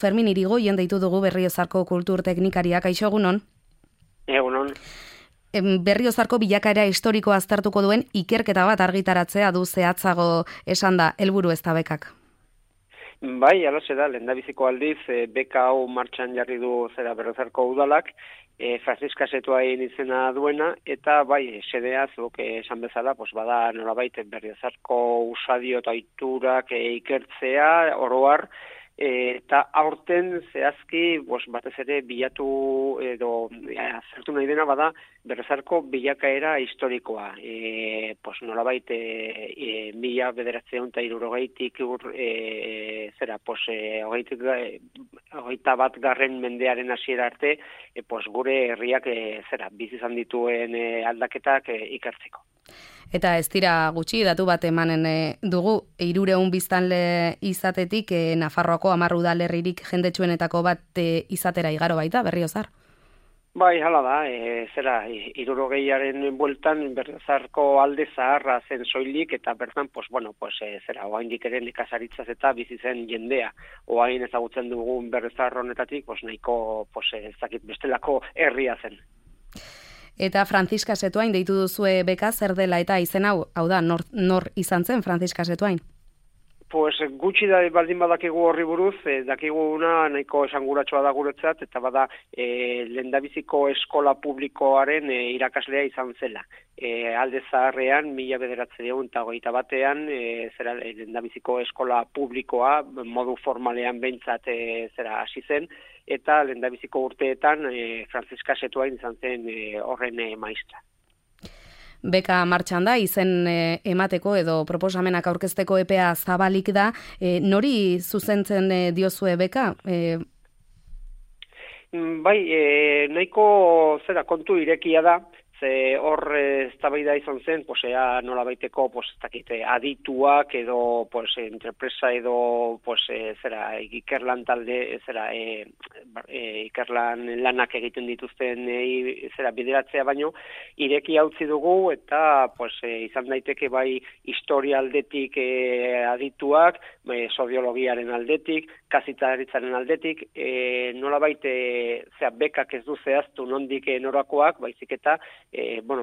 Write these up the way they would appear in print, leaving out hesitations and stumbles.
Fermin Irigoyen deitu dugu Berriozarko kultur teknikariak, kaixo egunon? Egunon. Berriozarko bilakaera historikoa aztertuko duen ikerketa bat argitaratzea du zehatzago esan da helburu ez da bekak. Bai, alaxe da, lehendabiziko aldiz, beka hau martxan jarri du zera Berriozarko udalak, Franziska Setoain izena duena, eta bai, sedea, zuk esan bezala, bada nolabait Berriozarko usadio eta oiturak ikertzea, oroar, eta aurten zehazki batez ere bilatu edo azertu nahi dena bada Berriozarko bilakaera historikoa. Nolabait 1960tik hogeita bat garren mendearen hasiera arte gure herriak bizi izan dituen aldaketak ikertzeko. Eta ez dira gutxi, datu bat emanen dugu, 300 biztanle izatetik Nafarroako 10 udalerririk jendetsuenetako bat izatera igaro baita, Berriozar? Bai, hala da, 60aren bueltan Berriozarko alde zaharra zen soilik, eta bertan, oaindik ere nekazaritzaz eta bizi zen jendea. Oain ezagutzen dugun Berriozar honetatik, nahiko bestelako herria zen. Eta Franziska Setoain deitu duzue beka zer dela eta izen hau da, nor izan zen Franziska Setoain? Gutxi da baldin badakigu horri buruz, dakiguna nahiko esanguratsua da guretzat, eta bada lehendabiziko eskola publikoaren irakaslea izan zela. Alde zaharrean, 1921 lehendabiziko eskola publikoa modu formalean behintzat hasi zen, eta lehendabiziko urteetan Franziska Setoain izan zen horren maistra. Beka martxan da, izen emateko edo proposamenak aurkezteko epea zabalik da. Nori zuzentzen diozue beka? Bai, nahiko kontu irekia da, ze hor eztabaida izan zen, nolabaiteko adituak edo entrepresa edo ikerlan talde, ikerlan lanak egiten dituzten bideratzea baino, irekia utzi dugu eta izan daiteke bai historia aldetik adituak, soziologiaren aldetik, kazitaritzaren aldetik, nolabait bekak ez du zehaztu nondik norakoak, baizik eta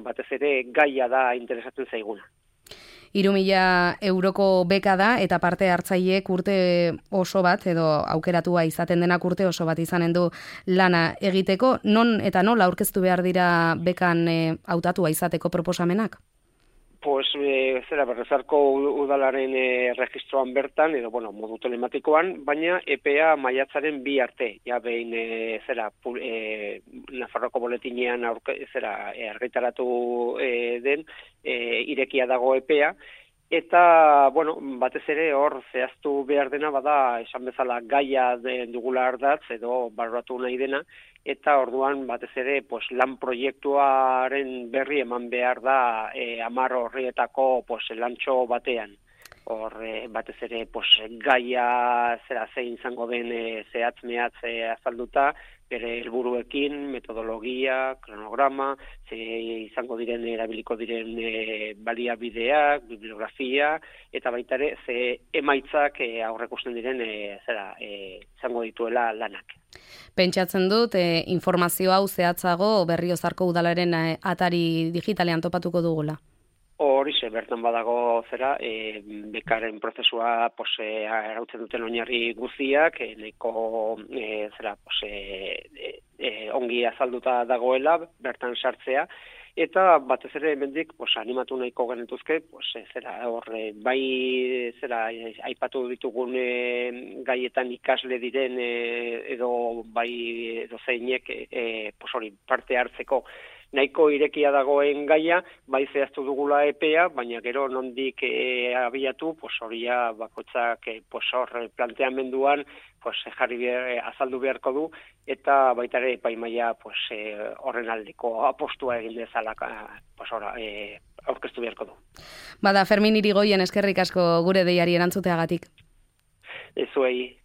batez ere gaia da interesatzen zaiguna. 3.000 euroko beka da eta parte hartzaileek urte oso bat edo aukeratua izaten denak urte oso bat izanen du lana egiteko. Non eta nola aurkeztu behar dira bekan hautatua izateko proposamenak? Berriozarko udalaren registroan bertan, edo modu telematikoan, baina EPA maiatzaren 2 arte. Ja behin Nafarroako boletinean argitaratu den, irekia dago EPA, eta, batez ere hor zehaztu behar dena bada, esan bezala gaia dugula ardatz edo barratu nahi dena, eta orduan batez ere lan proiektuaren berri eman behar da 10 horrietako lantxo batean. Hor batez ere gaia zein izango den zehatz mehatz azalduta, bere helburuekin, metodologia, kronograma, izango diren erabiliko diren baliabideak, bibliografia, eta baita ere emaitzak aurrekusten diren izango dituela lanak. Pentsatzen dut, informazio hau zehatzago Berriozarko udalaren atari digitalean topatuko dugula. Horixe, bertan badago bekaren prozesua arautzen duten oinarri guztiak, nahiko ongi azalduta dagoela, bertan sartzea, eta batez ere hemendik animatu nahiko genituzke, aipatu ditugun gaietan ikasle diren edo zeinek parte hartzeko nahiko irekia dagoen gaia, bai zehaztu dugula EPEA, baina gero nondik abiatu, horia bakoitzak planteamenduan azaldu beharko du, eta baita ere epaimaia horren aldeko apostua egin dezala aurkeztu beharko du. Bada, Fermin Irigoyen eskerrik asko gure deiari erantzuteagatik. Zuei.